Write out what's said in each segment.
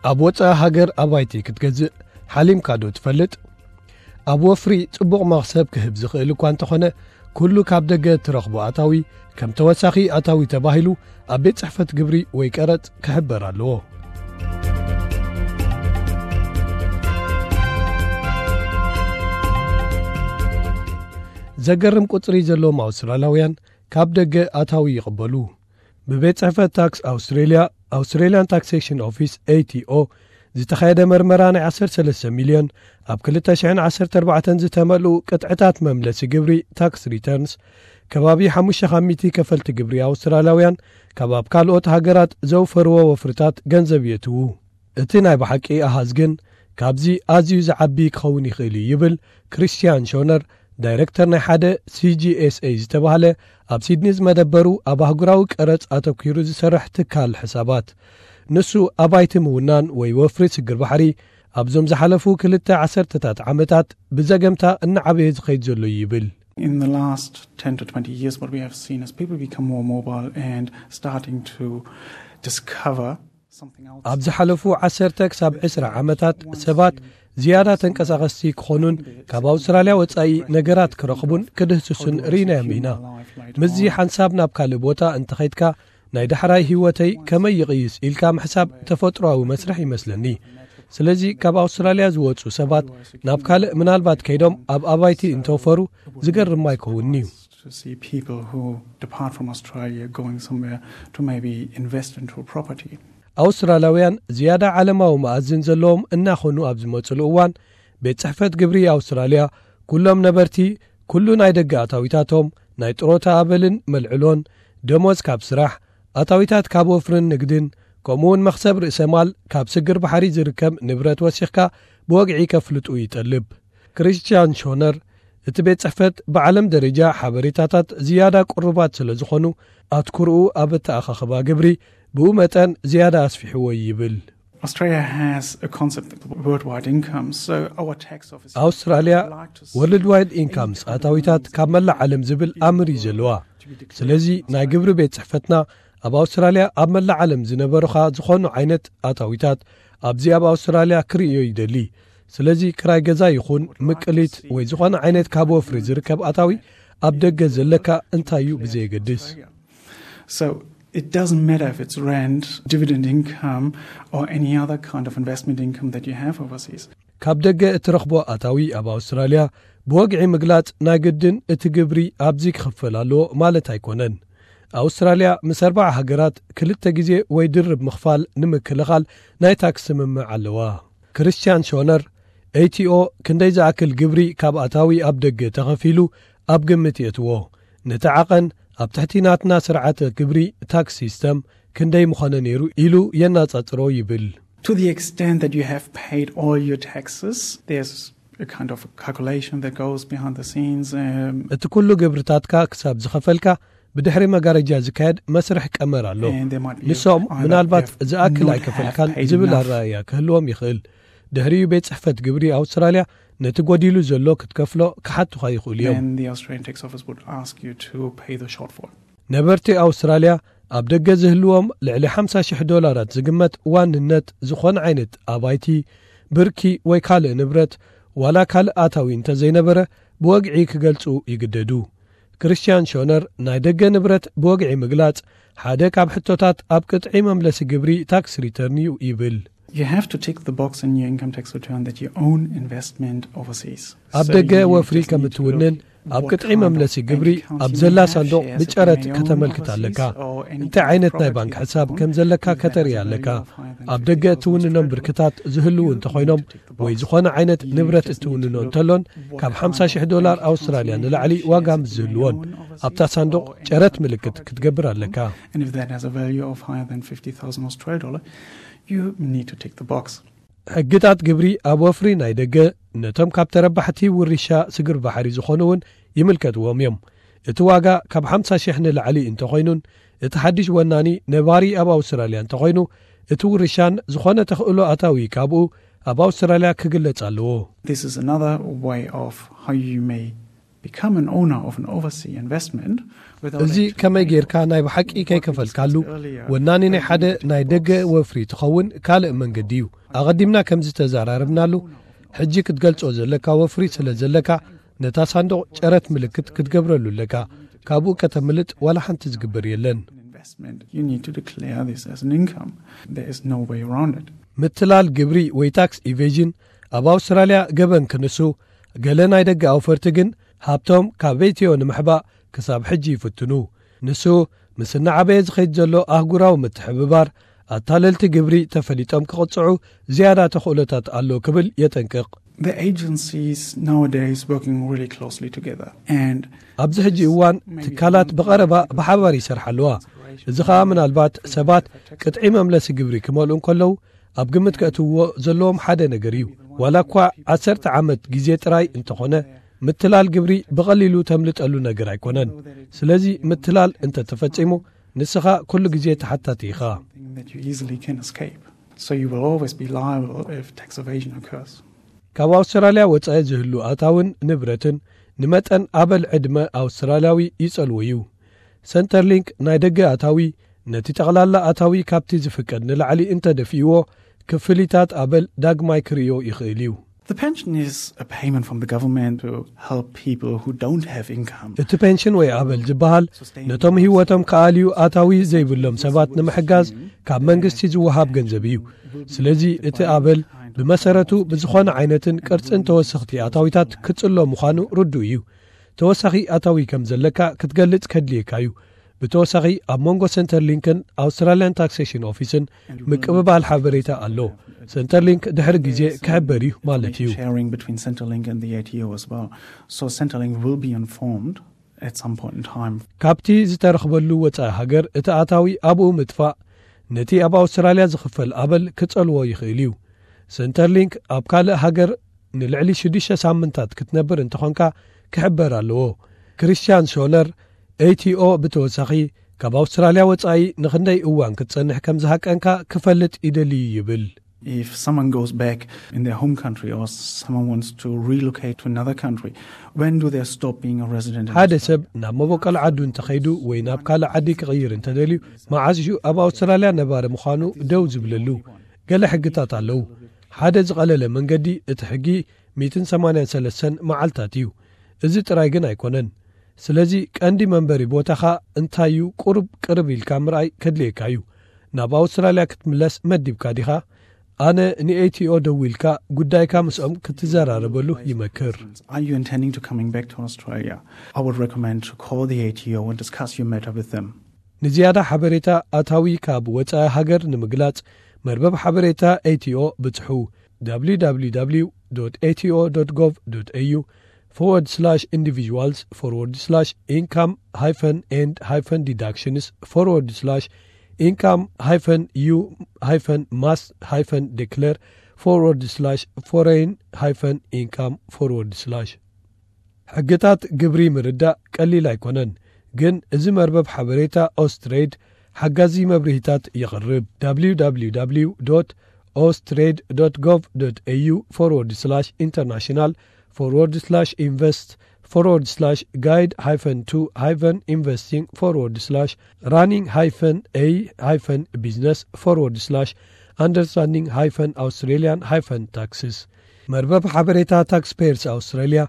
ኣብ ወጻኢ ሃገር ኣባይቲ ክትገዝእ ሓሊምካ ዶ ትፈልጥ? ኣብ ወፍሪ ጽቡቕ መኽሰብ ክህብ ዝኽእል እኳ እንተኾነ፣ ኩሉ ካብ ደገ እትረኽቦ ኣታዊ ከም ተወሳኺ ኣታዊ ተባሂሉ ኣብ ቤት ጽሕፈት ግብሪ ወይ ቀረጽ ክሕበር ኣለዎ። ዘገርም ቁጽሪ ዘለዎም ኣውስትራልያውያን ካብ ደገ ኣታዊ ይቕበሉ። ብቤት ጽሕፈት ታክስ ኣውስትሬልያ፣ Australian Taxation Office፣ A T O፣ ዝተኻየደ መርመራ፣ ናይ ዓሰርተ ሰለስተ ሚልዮን ኣብ ክልተ ሽሕን ዓሰርተ ኣርባዕተን ዝተመልኡ ቅጥዕታት መምለሲ ግብሪ፣ ታክስ ሪተርንስ፣ ከባቢ ሓሙሽተ ካብ ሚእቲ ከፈልቲ ግብሪ ኣውስትራልያውያን ካብ ኣብ ካልኦት ሃገራት ዘውፈርዎ ወፍርታት ገንዘብ የእትዉ። እቲ ናይ ብሓቂ ኣሃዝ ግን ካብዚ ኣዝዩ ዝዓቢ ክኸውን ይኽእል እዩ፣ ይብል ክሪስቲያን ሾነር፣ ዳይረክተር ናይ ሓደ C G S A ዝተባህለ ኣብ ሲድኒ ዝመደበሩ ኣብ ኣህጉራዊ ቀረጽ ኣተኲሩ ዝሰርሕ ትካል ሕሳባት። ንሱ ኣባይቲ ምውናን ወይ ወፍሪ ስግር ባሕሪ ኣብዞም ዝሓለፉ ክልተ ዓሰርተታት ዓመታት ብዘገምታ እናዓበየ ዝኸይድ ዘሎ እዩ ይብል። In the last ten to twenty years, what we have seen is people become more mobile and starting to discover something else. ኣብ ዝሓለፉ ዓሰርተ ክሳብ ዕስራ ዓመታት ሰባት ዝያዳ ተንቀሳቐስቲ ክኾኑን ካብ ኣውስትራልያ ወጻኢ ነገራት ክረኽቡን ክድህስሱን ርኢናዮም ኢና። ምስዚ ሓንሳብ ናብ ካልእ ቦታ እንተኸይድካ ናይ ዳሕራይ ህይወተይ ከመይ ይቕይስ ኢልካ ምሕሳብ ተፈጥሮኣዊ መስርሕ ይመስለኒ። ስለዚ ካብ ኣውስትራልያ ዝወጹ ሰባት ናብ ካልእ ምናልባት ከይዶም ኣብ ኣባይቲ እንተወፈሩ ዝገርም ኣይከውንን'ዩ። To see people who depart from Australia going somewhere to maybe invest into a property. ኣውስትራልያውያን ዝያዳ ዓለማዊ መኣዝን ዘለዎም እናኾኑ ኣብ ዝመጽሉ እዋን፣ ቤት ጽሕፈት ግብሪ ኣውስትራልያ ኩሎም ነበርቲ ኩሉ ናይ ደገ ኣታዊታቶም፣ ናይ ጥሮታ ኣበልን መልዕሎን፣ ደሞዝ ካብ ስራሕ፣ ኣታዊታት ካብ ወፍርን ንግድን፣ ከምኡውን መኽሰብ ርእሰ ማል ካብ ስግር ባሕሪ ዝርከብ ንብረት ወሲኽካ ብወግዒ ከፍልጡ ይጠልብ። ክሪስቲያን ሾነር፣ እቲ ቤት ጽሕፈት ብዓለም ደረጃ ሓበሬታታት ዝያዳ ቅሩባት ስለ ዝኾኑ፣ ኣትኩርኡ ኣብ ኣተኣኻኽባ ግብሪ ብኡ መጠን ዝያዳ ኣስፊሕዎ ይብል። Australia has a concept of worldwide income, so our tax office ኣውስትራልያ would like to see ወርልድ ዋይድ ኢንካምስ ኣታዊታት ካብ መላእ ዓለም ዝብል ኣምር እዩ ዘለዋ። ስለዚ ናይ ግብሪ ቤት ጽሕፈትና ኣብ ኣውስትራልያ ኣብ መላእ ዓለም ዝነበሩኻ ዝኾኑ ዓይነት ኣታዊታት ኣብዚ ኣብ ኣውስትራልያ ክርእዮ ይደሊ። ስለዚ ክራይ ገዛ ይኹን ምቅሊት ወይ ዝኾነ ዓይነት ካብ ወፍሪ ዝርከብ ኣታዊ ኣብ ደገ ዘለካ እንታይ እዩ ብዘየገድስ። So it doesn't matter if it's rent, dividend income, or any other kind of investment income that you have overseas. ካብ ደገ እትረኽቦ ኣታዊ ኣብ ኣውስትራልያ ብወግዒ ምግላጽ ናይ ግድን እቲ ግብሪ ኣብዚ ክኽፈል ኣለዎ ማለት ኣይኮነን። ኣውስትራልያ ምስ ኣርባዓ ሃገራት ክልተ ግዜ ወይ ድርብ ምኽፋል ንምክልኻል ናይ ታክስ ስምምዕ ኣለዋ። ክሪስቲያን ሾነር፣ A T O ክንደይ ዝኣክል ግብሪ ካብ ኣታዊ ኣብ ደገ ተኸፊሉ ኣብ ግምት የእትዎ። ነቲ ዓቐን ኣብ ትሕቲ ናትና ስርዓተ ግብሪ፣ ታክስ ሲስተም፣ ክንደይ ምኾነ ነይሩ ኢሉ የናጻጽሮ ይብል። To the extent that you have paid all your taxes, there's a kind of calculation that goes behind the scenes. Um, እቲ ኩሉ ግብርታትካ ክሳብ ዝኸፈልካ ብድሕሪ መጋረጃ ዝካየድ መስርሕ ቀመር ኣሎ። and there might be ንሶም either ምናልባት have ዝኣክል not ኣይከፈልካን have paid ዝብል enough. ኣረኣእያ ክህልዎም ይኽእል። ድሕሪኡ ቤት ጽሕፈት ግብሪ ኣውስትራልያ ነቲ ጎዲሉ ዘሎ ክትከፍሎ ክሓቱኻ ይኽእሉ እዮም። Then the Australian Tax Office would ask you to pay the shortfall. ነበርቲ ኣውስትራልያ ኣብ ደገ ዝህልዎም ልዕሊ ሓምሳ ሽሕ ዶላራት ዝግመት ዋንነት ዝኾነ ዓይነት ኣባይቲ፣ ብርኪ ወይ ካልእ ንብረት፣ ዋላ ካልእ ኣታዊ እንተዘይነበረ፣ ብወግዒ ክገልጹ ይግደዱ። ክሪስቲያን ሾነር፣ ናይ ደገ ንብረት ብወግዒ ምግላጽ ሓደ ካብ ሕቶታት ኣብ ቅጥዒ መምለሲ ግብሪ፣ ታክስ ሪተርን፣ እዩ ይብል። You have to tick the box in your income tax return that you own investment overseas. ኣብ So ደገ you ወፍሪ just ከም need to እትውንን look ኣብ what ቅጥዒ kind of መምለሲ bank ግብሪ accounts ኣብ you ዘላ may have, ሳንዱቕ shares that you ብጨረት may own ከተመልክት overseas ኣለካ። or any እንታይ kind of ዓይነት ናይ property ባንክ that you ሕሳብ own ከም ዘለካ that has ከተርኢ a value ኣለካ። of higher than ኣብ ደገ fifty thousand እትውንኖም Australian ብርክታት ዝህልዉ እንተኾይኖም ወይ ዝኾነ ዓይነት ንብረት እትውንኖ እንተሎን ካብ ሓምሳ ሽሕ ዶላር ኣውስትራልያ ንላዕሊ ዋጋ ምስ ዝህልዎን ኣብታ ሳንዱቕ ጨረት ምልክት ክትገብር ኣለካ። And if that has a value of higher than fifty thousand Australian dollar, you need to tick the box. ሕግታት ግብሪ ኣብ ወፍሪ ናይ ደገ ነቶም ካብ ተረባሕቲ ውርሻ ስግር ባሕሪ ዝኾኑ እውን ይምልከትዎም እዮም። እቲ ዋጋ ካብ ሓምሳ ሽሕ ንላዕሊ እንተኾይኑን እቲ ሓድሽ ወናኒ ነባሪ ኣብ ኣውስትራልያ እንተኾይኑ እቲ ውርሻን ዝኾነ ተኽእሎ ኣታዊ ካብኡ ኣብ ኣውስትራልያ ክግለጽ ኣለዎ። This is another way of how you may Become an owner of an overseas investment without እዚ ከመይ ጌርካ ናይ ብሓቂ ከይከፈልካሉ ወናኒ ናይ ሓደ ናይ ደገ ወፍሪ ትኸውን ካልእ መንገዲ እዩ። ኣቐዲምና ከም ዝተዘራረብናሉ፣ ሕጂ ክትገልጾ ዘለካ ወፍሪ ስለ ዘለካ፣ ነታ ሳንዱቕ ጨረት ምልክት ክትገብረሉ ኣለካ። ካብኡ ከተምልጥ ዋላ ሓንቲ ዝግበር የለን። Investment, you need to declare this as an income. There is no way around it. ምትላል ግብሪ ወይ ታክስ ኢቬዥን ኣብ ኣውስትራልያ ገበን ክንሱ፣ ገለ ናይ ደገ ኣውፈርቲ ግን ሃብቶም ካብ ቤትዮ ንምሕባእ ክሳብ ሕጂ ይፍትኑ። ንሱ ምስ እናዓበየ ዝኸይድ ዘሎ ኣህጉራዊ ምትሕብባር፣ ኣታለልቲ ግብሪ ተፈሊጦም ክቕጽዑ ዝያዳ ተኽእሎታት ኣሎ ክብል የጠንቅቕ። The agencies nowadays working really closely together, and ኣብዚ ሕጂ እዋን ትካላት ብቐረባ ብሓባር ይሰርሓ ኣለዋ። እዚ ኸኣ ምናልባት ሰባት ቅጥዒ መምለሲ ግብሪ ክመልኡ እንከለዉ ኣብ ግምት ከእትውዎ ዘለዎም ሓደ ነገር እዩ። ዋላ እኳ ዓሰርተ ዓመት ግዜ ጥራይ እንተኾነ፣ ምትላል ግብሪ ብቐሊሉ ተምልጠሉ ነገር ኣይኮነን። ስለዚ ምትላል እንተተፈጺሙ፣ ንስኻ ኩሉ ግዜ ተሓታቲ ኢኻ። That you easily can escape. So you will always be liable if tax evasion occurs. ካብ ኣውስትራልያ ወጻኢ ዝህሉ ኣታውን ንብረትን ንመጠን ኣበል ዕድመ ኣውስትራልያዊ ይጸልዎ እዩ። ሰንተርሊንክ ናይ ደገ ኣታዊ ነቲ ጠቕላላ ኣታዊ ካብቲ ዝፍቀድ ንላዕሊ እንተደፊእዎ፣ ክፍሊታት ኣበል ዳግማይ ክርእዮ ይኽእል እዩ። The pension is a payment from the government to help people who don't have income. እቲ ፔንሽን ወይ ኣበል ዝበሃል ነቶም ህይወቶም ከኣልዩ ኣታዊ ዘይብሎም ሰባት ንምሕጋዝ ካብ መንግስቲ ዝወሃብ ገንዘብ እዩ። ስለዚ እቲ ኣበል ብመሰረቱ ብዝኾነ ዓይነትን ቅርጽን ተወሰኽቲ ኣታዊታት ክጽሎ ምዃኑ ርዱእ እዩ። ተወሳኺ ኣታዊ ከም ዘለካ ክትገልጽ ከድልየካ እዩ። ብተወሳኺ ኣብ መንጎ ሰንተርሊንክን ኣውስትራልያን ታክሴሽን ኦፊስን ምቅብባል ሓበሬታ ኣሎ። ሰንተርሊንክ ድሕሪ ግዜ ክሕበር እዩ ማለት እዩ። Sharing between Centrelink and the A T O as well. So Centrelink will be informed at some point in time. ካብቲ ዝተረኽበሉ ወጻኢ ሃገር እቲ ኣታዊ ኣብኡ ምጥፋእ ነቲ ኣብ ኣውስትራልያ ዝኽፈል ኣበል ክጸልዎ ይኽእል እዩ። ሰንተርሊንክ ኣብ ካልእ ሃገር ንልዕሊ ሽዱሽተ ሳምንታት ክትነብር እንተኾንካ ክሕበር ኣለዎ። ክሪስቲያን ሾነር፣ ኤቲኦ ብተወሳኺ ካብ ኣውስትራልያ ወጻኢ ንኽንደይ እዋን ክትጸንሕ ከም ዝሃቀንካ ክፈልጥ ይደሊ ይብል። If someone goes back in their home country or someone wants to relocate to another country, when do they stop being a resident? In ሓደ Australia? ሰብ ናብ መበቆል ዓዱ እንተኸይዱ ወይ ናብ ካልእ ዓዲ ክቕይር እንተደልዩ፣ መዓዝ እዩ ኣብ ኣውስትራልያ ነባሪ ምዃኑ ደው ዝብለሉ? ገለ ሕግታት ኣለዉ። ሓደ ዝቐለለ መንገዲ እቲ ሕጊ ሚእትን ሰማንያን ሰለስተን መዓልታት እዩ። እዚ ጥራይ ግን ኣይኮነን። ስለዚ ቀንዲ መንበሪ ቦታኻ እንታይ እዩ ቁሩብ ቅርብ ኢልካ ምርኣይ ከድልየካ እዩ። ናብ ኣውስትራልያ ክትምለስ መዲብካ ዲኻ? ኣነ ንኤቲኦ ደዊልካ ጉዳይካ ምስኦም ክትዘራረበሉ ይመክር። Are you intending to coming back to Australia? I would recommend to call the A T O and discuss your matter with them. ንዝያዳ ሓበሬታ ኣታዊ ካብ ወጻኢ ሃገር ንምግላጽ መርበብ ሓበሬታ ኤቲኦ ብጽሑ። www.ato.gov.au forward slash individuals forward slash income hyphen and hyphen deductions forward slash income hyphen u hyphen must hyphen declare forward slash foreign hyphen income forward slash ሕግታት ግብሪ ምርዳእ ቀሊል ኣይኮነን፣ ግን እዚ መርበብ ሓበሬታ ኦስትሬድ ሓጋዚ መብርሂታት የቕርብ። www.austrade.gov.au forward slash international forward slash invest forward slash guide hyphen to hyphen investing forward slash running hyphen a hyphen business forward slash understanding hyphen Australian hyphen taxes። መርበብ ሓበሬታ ታክስፔየርስ ኣውስትራልያ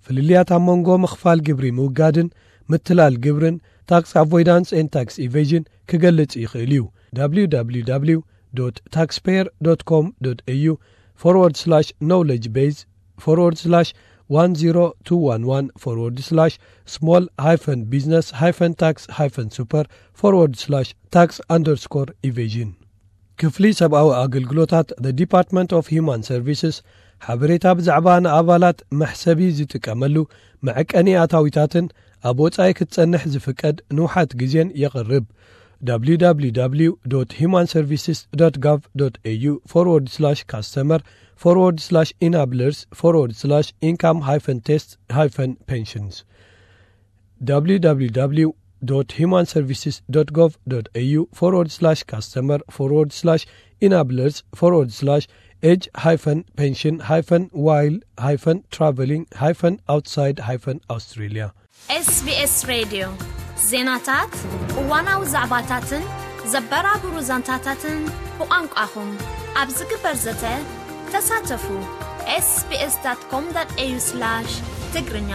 ፍልልያት ኣብ መንጎ ምኽፋል ግብሪ ምውጋድን ምትላል ግብርን፣ ታክስ ኣቮይዳንስ ኤን ታክስ ኢቬዥን፣ ክገልጽ ይኽእል እዩ። www.taxpayer.com.au forward slash knowledge base forward slash one zero two one one forward slash small hyphen business hyphen tax hyphen super forward slash tax underscore evasion። ክፍሊ ሰብኣዊ ኣገልግሎታት፣ the Department of Human Services፣ ሓበሬታ ብዛዕባ ንኣባላት መሕሰቢ ዝጥቀመሉ መዐቀኒ ኣታዊታትን ኣብ ወጻኢ ክትጸንሕ ዝፍቀድ ንውሓት ግዜን የቕርብ። www.humanservices.gov.au forward slash customer forward slash enablers forward slash income hyphen test hyphen pensions. www.humanservices.gov.au forward slash customer forward slash enablers forward slash age hyphen pension hyphen while hyphen traveling hyphen outside hyphen Australia. SBS Radio ዜናታት፣ እዋናዊ ዛዕባታትን ዘበራብሩ ዛንታታትን ብቋንቋኹም ኣብ ዝግበር ዘተ ተሳተፉ። ኤስቢኤስ ዳት ኮም ዳት ኤዩ ስላሽ ትግርኛ።